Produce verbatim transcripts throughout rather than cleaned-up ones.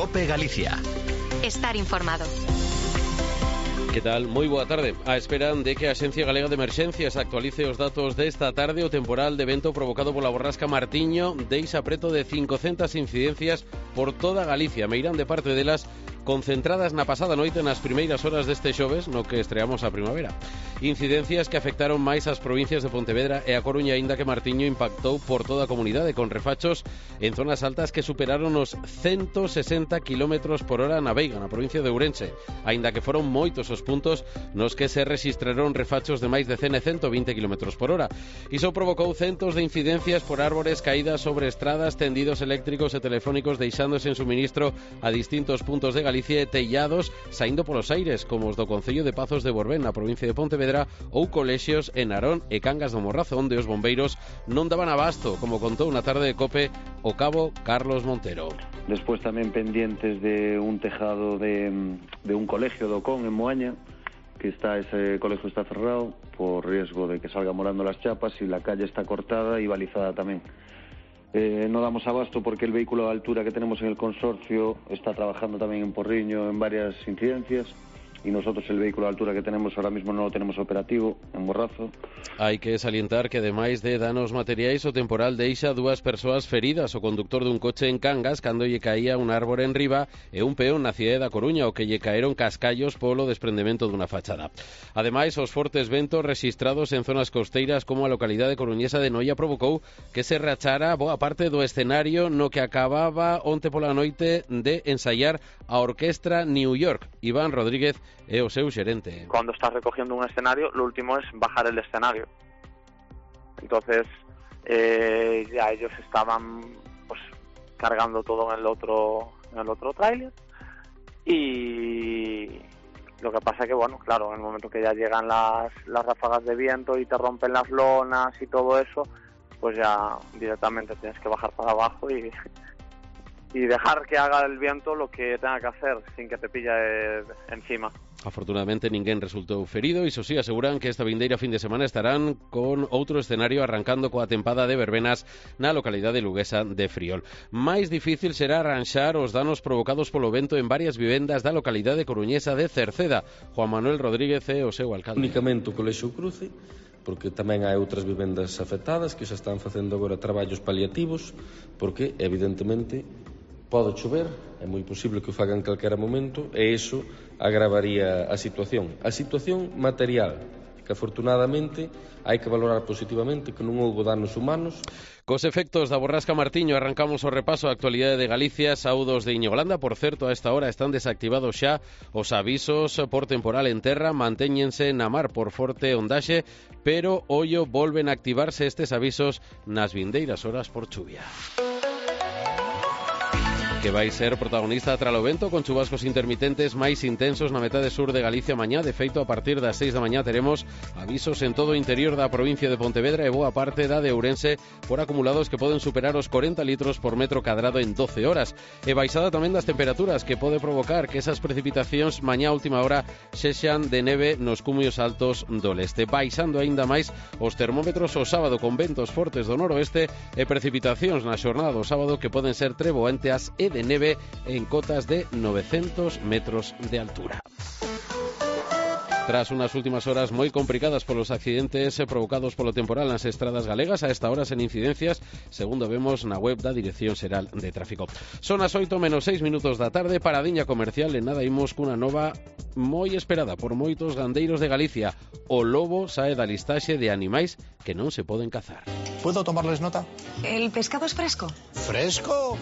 COPE Galicia. Estar informado. Que tal? Moi boa tarde. A espera de que a Axencia Galega de Emerxencias actualice os datos desta tarde, o temporal de vento provocado pola borrasca Martiño deixa preto de cincocentas incidencias por toda Galicia. Meirán de parte delas concentradas na pasada noite nas primeiras horas deste xoves, no que estreamos a primavera. Incidencias que afectaron máis as provincias de Pontevedra e a Coruña, aínda que Martiño impactou por toda a comunidade, con refachos en zonas altas que superaron os ciento sesenta kilómetros por hora na Veiga, na provincia de Ourense, aínda que foron moitos os puntos nos que se rexistraron refachos de máis de cen e ciento vinte kilómetros por hora. Iso provocou centos de incidencias por árbores caídas sobre estradas, tendidos eléctricos e telefónicos deixándose en suministro a distintos puntos de Galicia e tellados saindo polos aires, como os do Concello de Pazos de Borbén, na provincia de Pontevedra, ou colexios en Narón e Cangas do Morrazo, onde os bombeiros non daban abasto, como contou na tarde de COPE o cabo Carlos Montero. Despois tamén pendientes de un tejado de, de un colegio do Con en Moaña, que está ese colegio está cerrado por riesgo de que salgan volando las chapas, y la calle está cortada y balizada tamén. Eh, no damos abasto porque el vehículo de altura que tenemos en el consorcio está trabajando también en Porriño en varias incidencias, y nosotros el vehículo de altura que tenemos ahora mismo no lo tenemos operativo en Morrazo. Hai que salientar que ademais de danos materiais, o temporal deixa dúas persoas feridas, o conductor dun coche en Cangas cando lle caía un árbore en riba e un peón na cidade da Coruña, o que lle caeron cascallos polo desprendemento dunha fachada. Ademais, os fortes ventos rexistrados en zonas costeiras como a localidade coruñesa de Noia provocou que se rachara boa parte do escenario no que acababa onte pola noite de ensaiar a Orquestra New York. Iván Rodríguez é o seu xerente. Cuando estás recogiendo un escenario, lo último es bajar el escenario. Entonces, eh, ya ellos estaban pues cargando todo en el otro en el otro tráiler, y lo que pasa que, bueno, claro, en el momento que ya llegan las, las ráfagas de viento y te rompen las lonas y todo eso, pues ya directamente tienes que bajar para abajo y... y dejar que haga el viento lo que tenga que hacer sin que te pille encima. Afortunadamente ninguén resultou ferido, e iso sí, aseguran que esta vindeira fin de semana estarán con outro escenario arrancando coa tempada de verbenas na localidade luguesa de Friol. Máis difícil será arranxar os danos provocados polo vento en varias vivendas da localidade coruñesa de Cerceda. Juan Manuel Rodríguez é o seu alcalde. Únicamente o Colexio Cruce, porque tamén hai outras vivendas afectadas que xa están facendo agora traballos paliativos, porque evidentemente pode chover, é moi posible que o fagan en calquera momento, e iso agravaría a situación. A situación material, que afortunadamente hai que valorar positivamente, que non houbo danos humanos. Cos efectos da borrasca Martiño arrancamos o repaso á actualidade de Galicia. Saúdos de Íñigo Landa. Por certo, a esta hora están desactivados xa os avisos por temporal en terra, mantéñense na mar por forte ondaxe, pero ollo, volven a activarse estes avisos nas vindeiras horas por chuvia. Que vai ser protagonista tras o vento, con chubascos intermitentes máis intensos na metade sur de Galicia mañá. De feito, a partir das seis da mañá teremos avisos en todo o interior da provincia de Pontevedra e boa parte da de Ourense por acumulados que poden superar os corenta litros por metro cadrado en doce horas. E baixada tamén das temperaturas, que pode provocar que esas precipitacións mañá a última hora sexan de neve nos cumios altos do leste. Baixando aínda máis os termómetros o sábado, con ventos fortes do noroeste e precipitacións na xornada do sábado que poden ser treboanteas e de neve en cotas de novecientos metros de altura. Tras unas últimas horas moi complicadas polos accidentes provocados polo temporal nas estradas galegas, a esta hora sen incidencias, segundo vemos na web da Dirección Xeral de Tráfico. Son as oito menos seis minutos da tarde, paradiña comercial, e nada imos cunha nova moi esperada por moitos gandeiros de Galicia. O lobo sae da listaxe de animais que non se poden cazar. ¿Puedo tomarles nota? ¿El pescado es fresco? ¿Fresco?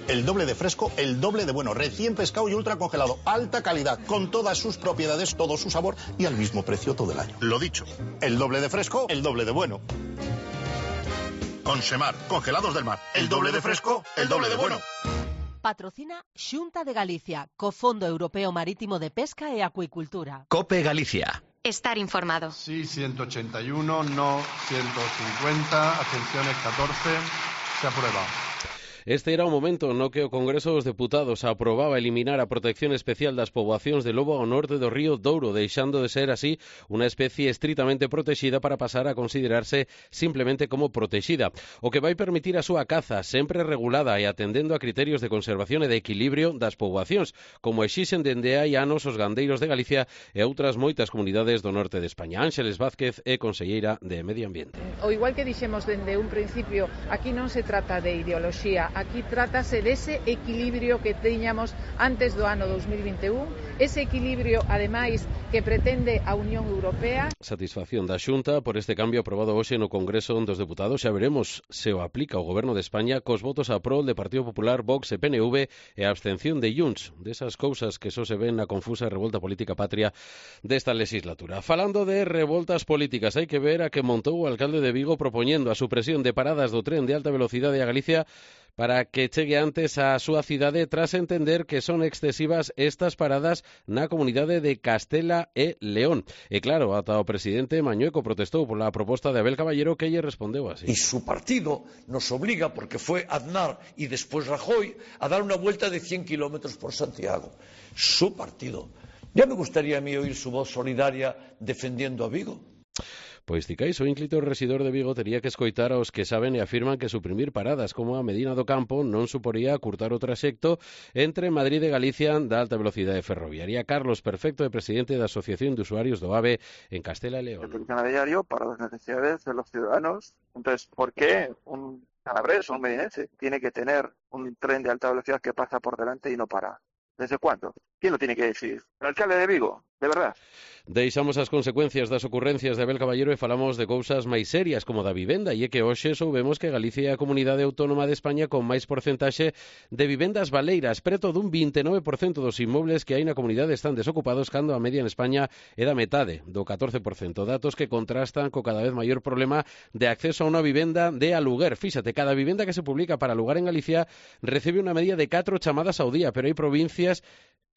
El doble de fresco, el doble de bueno. Recién pescado y ultra congelado. Alta calidad, con todas sus propiedades, todo su sabor y al mismo precio todo el año. Lo dicho, el doble de fresco, el doble de bueno. Consemar, congelados del mar. El doble de fresco, el doble de bueno. Patrocina Xunta de Galicia, co Fondo Europeo Marítimo de Pesca e Acuicultura. COPE Galicia. Estar informado. Sí, ciento ochenta y uno, no ciento cincuenta, abstenciones catorce, se aprueba. Este era o momento no que o Congreso dos Deputados aprobaba eliminar a protección especial das poboacións de lobo ao norte do río Douro, deixando de ser así unha especie estritamente protexida para pasar a considerarse simplemente como protexida, o que vai permitir a súa caza sempre regulada e atendendo a criterios de conservación e de equilibrio das poboacións, como exixen dende hai anos os gandeiros de Galicia e outras moitas comunidades do norte de España. Ángeles Vázquez é conselleira de Medio Ambiente. O igual que dixemos dende un principio, aquí non se trata de ideoloxía, aquí trátase dese equilibrio que tiñamos antes do ano dos mil vinte e un, ese equilibrio, ademais, que pretende a Unión Europea. Satisfacción da Xunta por este cambio aprobado hoxe no Congreso dos Deputados. Xa veremos se o aplica o Goberno de España cos votos a prol de Partido Popular, Vox e P N V e a abstención de Junts, desas cousas que só se ven na confusa revolta política patria desta legislatura. Falando de revoltas políticas, hai que ver a que montou o alcalde de Vigo propoñendo a supresión de paradas do tren de alta velocidade a Galicia para que chegue antes á súa cidade tras entender que son excesivas estas paradas na comunidade de Castela e León. E claro, ata o presidente Mañueco protestou pola proposta de Abel Caballero, que lle respondeu así. Y su partido nos obliga, porque fue Aznar y después Rajoy, a dar una vuelta de cien kilómetros por Santiago. Su partido. Ya me gustaría a mí oír su voz solidaria defendiendo a Vigo. Pois ticais, o ínclito residor de Vigo tería que escoitar aos que saben e afirman que suprimir paradas como a Medina do Campo non suporía curtar o traxecto entre Madrid e Galicia da alta velocidade ferroviaria. Carlos Perfecto é presidente da Asociación de Usuarios do AVE en Castela e León. Se funciona a diario para las necesidades de los ciudadanos. Entonces, ¿por qué un calabrés o un medinense tiene que tener un tren de alta velocidad que pasa por delante y no para? ¿Desde cuándo? ¿Quién lo tiene que decir? ¿El alcalde de Vigo? De verdad. Deixamos as consecuencias das ocurrencias de Abel Caballero e falamos de cousas máis serias como da vivenda, e é que hoxe soubemos que Galicia é a comunidade autónoma de España con máis porcentaxe de vivendas baleiras. Preto dun vinte e nove por cento dos inmobles que hai na comunidade están desocupados, cando a media en España é da metade, do catorce por cento. Datos que contrastan co cada vez maior problema de acceso a unha vivenda de aluguer. Fíxate, cada vivenda que se publica para alugar en Galicia recibe unha media de catro chamadas ao día, pero hai provincias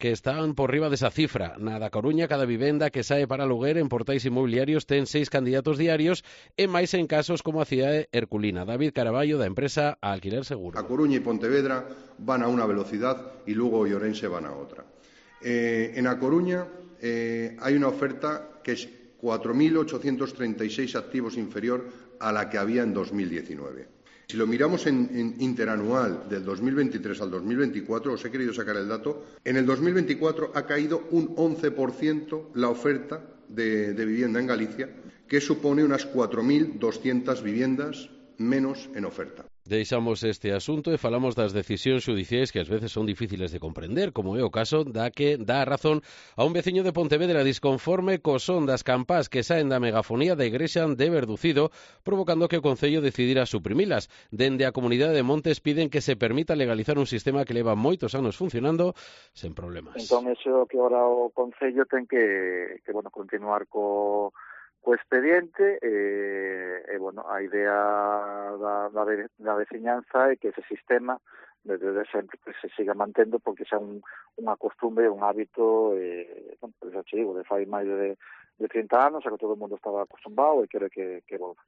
que están por riba desa cifra. Na da Coruña, cada vivenda que sae para aluguer en portais inmobiliarios ten seis candidatos diarios e máis en casos como a cidade herculina. David Caraballo, da empresa Alquiler Seguro. A Coruña y Pontevedra van a una velocidad y Lugo y Orense van a otra. Eh, en A Coruña eh, hay una oferta que es cuatro mil ochocientos treinta y seis activos inferior a la que había en dos mil diecinueve. Si lo miramos en, en interanual del dos mil veintitrés al dos mil veinticuatro, os he querido sacar el dato, en el dos mil veinticuatro ha caído un once por ciento la oferta de, de vivienda en Galicia, que supone unas cuatro mil doscientas viviendas menos en oferta. Deixamos este asunto e falamos das decisións xudiciais que ás veces son difíciles de comprender, como é o caso da que dá a razón a un veciño de Pontevedra disconforme co son das campás que saen da megafonía da igrexa de Verducido, provocando que o Concello decidira suprimilas. Dende a comunidade de Montes piden que se permita legalizar un sistema que leva moitos anos funcionando sen problemas. Entón, eso que ahora o Concello ten que, que bueno, continuar co co expediente e, e bueno, a idea da, da, da veciñanza é que ese sistema desde sempre que se siga mantendo porque xa un, unha costumbre, un hábito e, bueno, por eso te digo, de fai máis de, de trinta anos, a que todo o mundo estaba acostumbrado e quere que, que volva.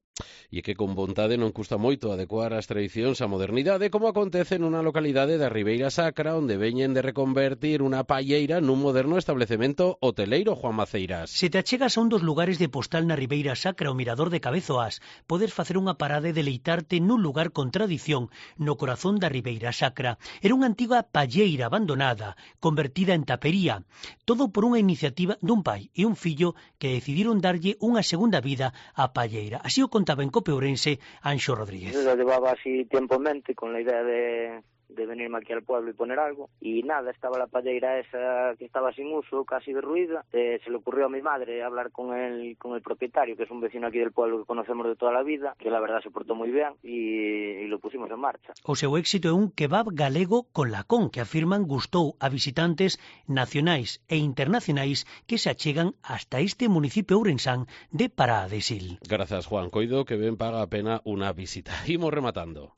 E que con vontade non custa moito adecuar as tradicións á modernidade, como acontece nunha localidade da Ribeira Sacra, onde veñen de reconvertir unha palleira nun moderno establecemento hoteleiro. Juan Maceiras. Se te achegas a un dos lugares de postal na Ribeira Sacra, o Mirador de Cabezoas, podes facer unha parada e deleitarte nun lugar con tradición no corazón da Ribeira Sacra. Era unha antiga palleira abandonada, convertida en tapería, todo por unha iniciativa dun pai e un fillo que decidiron darlle unha segunda vida á palleira. Así o contaba en Cope Ourense Anxo Rodríguez. Yo llevaba así tiempo en mente con la idea de, de venirme aquí al pueblo y poner algo, y nada, estaba la palleira esa que estaba sin uso, casi derruida. Eh, se le ocurrió a mi madre hablar con el, con el propietario, que es un vecino aquí del pueblo que conocemos de toda la vida, que la verdad se portó muy bien, y, y lo pusimos en marcha. O seu éxito é un kebab galego con lacón, que afirman gustou a visitantes nacionais e internacionais que se achegan hasta este municipio ourensán de Pará de Sil. Grazas, Juan. Coido que ben paga a pena unha visita. Imos rematando.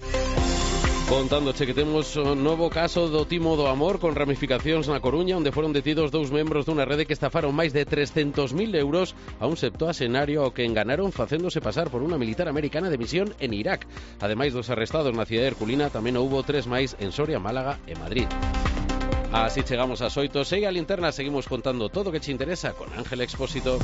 Contándoche que temos un novo caso do timo do amor con ramificacións na Coruña, onde foron detidos dous membros dunha rede que estafaron máis de trescentos mil euros a un septuaxenario ao que enganaron facéndose pasar por unha militar americana de misión en Irak. Ademais dos arrestados na cidade herculina, tamén houbo tres máis en Soria, Málaga e Madrid. Así chegamos ás oito. Segue a linterna, seguimos contando todo o que che interesa con Ángel Expósito.